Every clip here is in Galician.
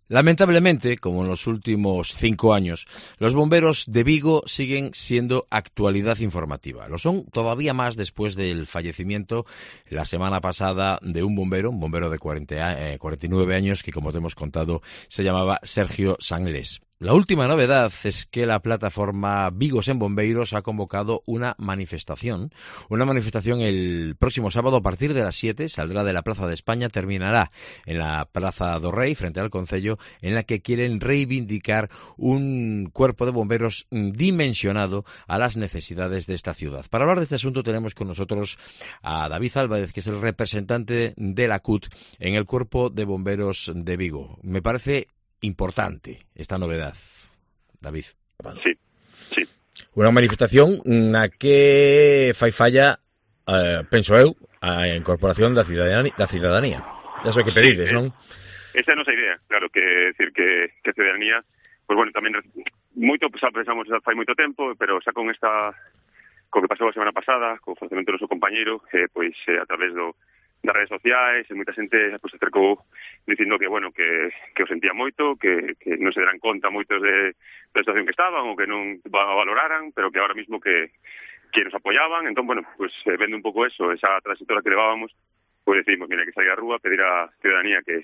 Lamentablemente, como en los últimos 5 años, los bomberos de Vigo siguen siendo actualidad informativa. Lo son todavía más después del fallecimiento la semana pasada de un bombero de 49 años, que, como te hemos contado, se llamaba Sergio Sanglés. La última novedad es que la plataforma Vigos en Bombeiros ha convocado una manifestación el próximo sábado a partir de las 7, saldrá de la Plaza de España, terminará en la Plaza do Rei, frente al Concello, en la que quieren reivindicar un cuerpo de bomberos dimensionado a las necesidades de esta ciudad. Para hablar de este asunto tenemos con nosotros a David Álvarez, que es el representante de la CUT en el Cuerpo de Bomberos de Vigo. Me parece importante esta novedad, David. Sí. Unha manifestación na que fai falla, penso eu, a incorporación da cidadanía. Eso hai que pedides, non? Esa é a nosa idea, claro, que decir que a cidadanía, pues bueno, tamén moito pensamos fai moito tempo, pero xa con que pasou a semana pasada, co falecemento do noso compañeiro, pois a través das redes sociais, e moita xente pues, acercou dicindo que, bueno, que o sentía moito, que non se deran conta moitos da situación que estaban ou que non valoraran, pero que ahora mismo que nos apoyaban. Entón, bueno, pues vendo un pouco eso, esa trayectoria que levábamos, pues decimos, mira, que salir a rúa, pedir a ciudadanía que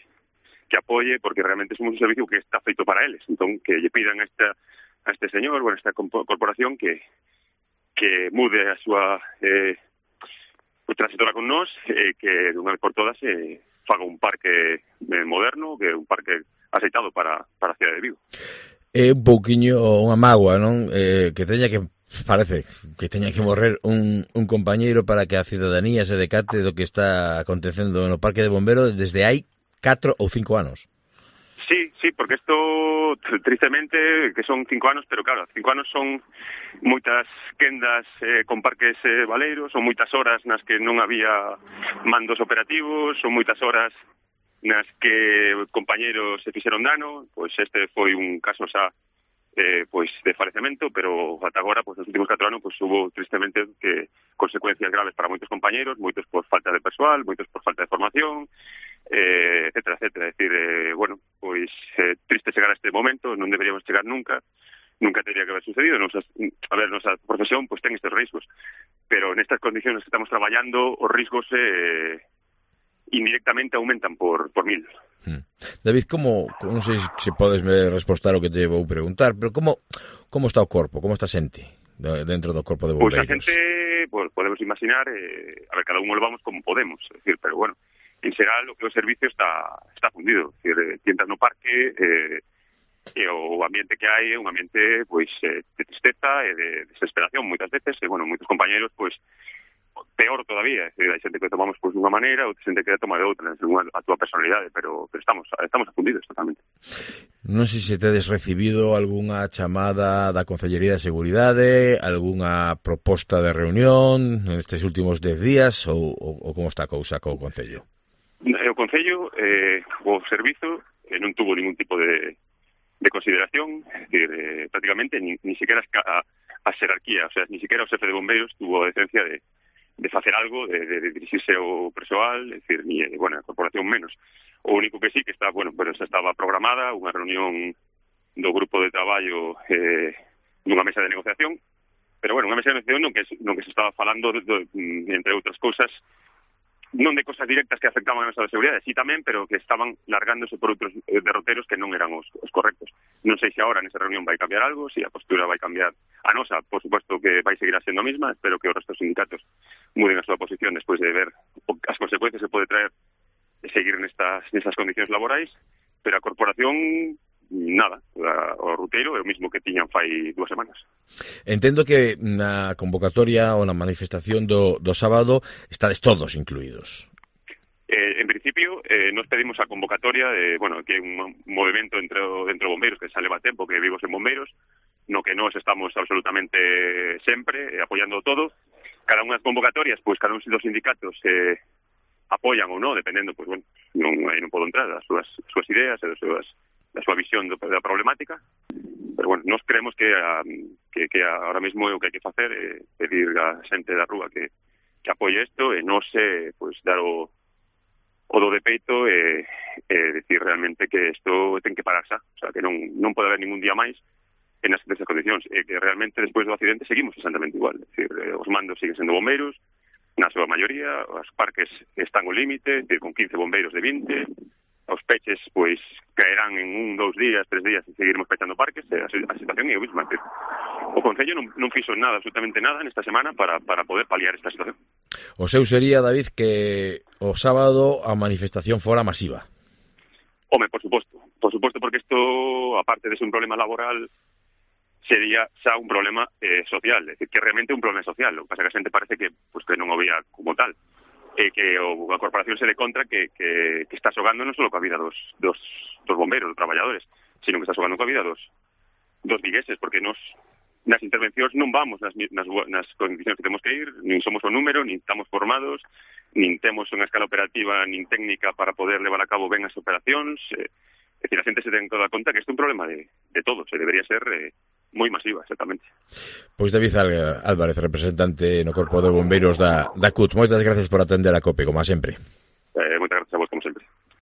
apoye, porque realmente somos un servicio que está feito para eles. Entón, que lle pidan a este señor, bueno, a esta corporación que mude a súa trayectoria con nós, que dunha vez por todas faga un parque moderno, que é un parque aceitado para a cidade de Vigo. É un pouquiño unha mágoa, non? Parece que teña que morrer un compañeiro para que a cidadanía se decate do que está acontecendo no Parque de Bomberos desde hai 4 ou 5 anos. Sí, porque isto, tristemente, que son 5 anos, pero claro, 5 anos son moitas quendas con parques baleiros, son moitas horas nas que non había mandos operativos, son moitas horas nas que compañeros se fixeron dano. Pois este foi un caso xa pois de falecemento, pero ata agora, pois nos últimos 4 anos, pois hubo tristemente que consecuencias graves para moitos compañeros, moitos por falta de persoal, moitos por falta de formación, etcétera. É dicir, bueno, pois triste chegar a este momento, non deberíamos chegar nunca tendría que haber sucedido. Nosa profesión pois ten estes riscos, pero nestas condiciones que estamos traballando, os riscos indirectamente aumentan por 1000. David, non sei se podes me respostar o que te vou preguntar, pero como está o corpo, como está a xente dentro do corpo de bombeiros? Pois a xente, podemos imaginar, a ver, cada un o levamos como podemos, é dicir, pero bueno, en xeral o que o servicio está fundido, é dicir, tientas no parque, e o ambiente que hai é un ambiente pois de tristeza e de desesperación moitas veces, e bueno, moitos compañeros pois peor todavía, é dicir, hai xente que tomamos pois dunha maneira, outra xente que toma de outra, según a túa personalidade, pero estamos afundidos totalmente. Non sei se tedes recibido algunha chamada da Concellería de Seguridade, algunha proposta de reunión nestes últimos 10 días, ou como está a cousa co Concello? O Concello, o servizo, non tuvo ningún tipo de consideración, es decir, prácticamente ni siquiera a xerarquía, o sea, ni siquiera o xefe de bombeiros tuvo a decencia de facer algo, de dirixirse ao persoal, es decir, ni, bueno, a corporación menos. O único que sí que está, bueno, pero xa estaba programada unha reunión do grupo de traballo nunha mesa de negociación, pero bueno, unha mesa de negociación non que se estaba falando entre outras cousas, non de cosas directas que afectaban a nosa seguridade, sí tamén, pero que estaban largándose por outros derroteros que non eran os correctos. Non sei se agora nesa reunión vai cambiar algo, se a postura vai cambiar a nosa, por suposto que vai seguir sendo a mesma. Espero que os restos sindicatos muden a súa posición despois de ver as consecuencias que pode traer de seguir nestas condicións laborais, pero a corporación nada, o ruteiro é o mismo que tiñan fai 2 semanas. Entendo que na convocatoria ou na manifestación do sábado estades todos incluídos. En principio, nos pedimos a convocatoria bueno, que é un movimento dentro bombeiros que xa leva tempo, que Vigos en Bombeiros, no que nós estamos absolutamente sempre apoiando todo. Cada unha das convocatorias, pois cada un dos sindicatos apoian ou non, dependendo, pois bueno, non podo entrar as súas ideas e da súa visión da problemática, pero bueno, nós creemos que ahora mesmo o que hai que facer é pedir a xente da rúa que apoie isto e non se, pois, dar o o do de peito decir realmente que isto ten que parar xa, o sea, que non pode haber ningún día máis en nesas condicións, que realmente despois do accidente seguimos exactamente igual, é dicir, os mandos siguen sendo bombeiros, na súa maioría, os parques están ao límite, con 15 bombeiros de 20, os peches, pois, caerán en 1, 2 días, 3 días e seguiremos pechando parques, a situación é o mesmo. O Concello non fixo nada, absolutamente nada, nesta semana para poder paliar esta situación. O seu sería, David, que o sábado a manifestación fora masiva. Home, por suposto, porque isto, aparte de ser un problema laboral, sería xa un problema social, é dicir, que realmente é un problema social, o que pasa que a xente parece que non o veía como tal. Que a corporación se le contra que está xogando non só coa vida dos bombeiros, dos traballadores, sino que está xogando coa vida dos vigueses, porque nas intervencións non vamos nas condicións que temos que ir, nin somos o número, nin estamos formados, nin temos unha escala operativa nin técnica para poder levar a cabo ben as operacións. É dicir, a xente se ten que dar conta que isto é un problema de todos, e debería ser moi masiva, exactamente. Pois David Álvarez, representante no Corpo de Bombeiros da CUT, moitas gracias por atender a COPE, como sempre.